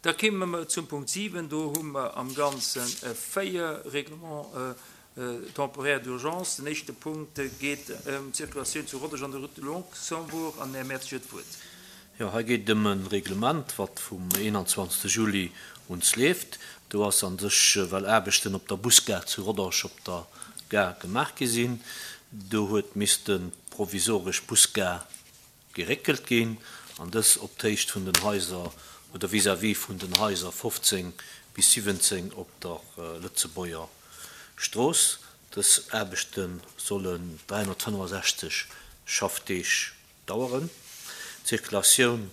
Da kéime mer zum Punkt 7. Do hu mer am Ganze 4 Règlements temporaires d'urgence. Den éischte Punkt geet ëm d'Circulatioun zu Rodange an der Route de Luxembourg. An den Här Mertz huet d'Wuert. Jo, hei geet et ëm e Reglement, wat vum 21. Juli uns leeft. Do ass a sech, well Aarbechten op der Busgare zu Rodange op der Gare gemaach gi sinn, do huet misste provisoresch Busgare geréckelt ginn an dës op d'Héicht vun den Haiser oder vis-à-vis vun den Haiser 15 bis 17 op der Lëtzebuerger Strooss. Dës Aarbechte sollen 365 Schaffdeeg daueren. D'Zirkulatioun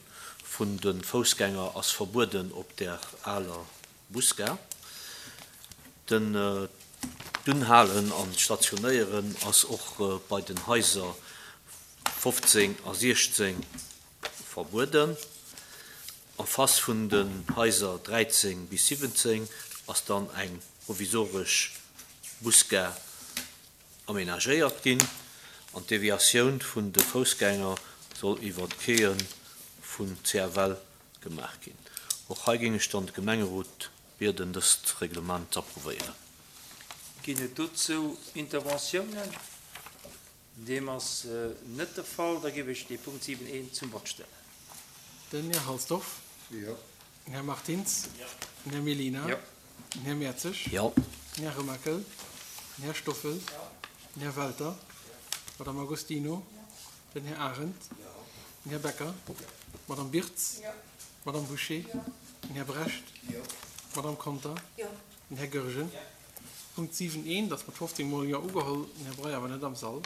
vun de Foussgänger ass verbueden op der aler Busgare. Den d'Unhalen an d'Stationéieren ass och bei den Haiser 15 a 16 verbueden. En face vun den Haiser 13 bis 17 ass dann eng provisoresch Busgare amenagéiert ginn an d'Deviatioun vun de Foussgänger soll iwwer d'Quaie vun CFL gemaach ginn. Och hei géing ech dann de Gemengerot bieden, dëst Reglement z'approuvéieren. Ginn et dozou Interventiounen? Deem ass net de Fall. Da géif ech dee Punkt 7 I zum Vott stellen. Den Här Halsdorf. Jo. Den Här Martins. Jo. Den Här Mellina. Jo. Den Här Mertzig. Jo. Den Här Remakel. Den Här Stoffel. Jo. Den Här Welter. Jo. D'Madame Agostino. Jo. Den Här Arendt. Jo. Den Här Becker. Jo. D'Madame Birtz. Jo. D'Madame Bouché. Jo. Den Här Brecht. Jo. D'Madame Conter. Jo. Den Här Goergen. Jo. Punkt 7 I, ass mat 15 mol Jo ugeholl. Den Här Breyer war net am Sall.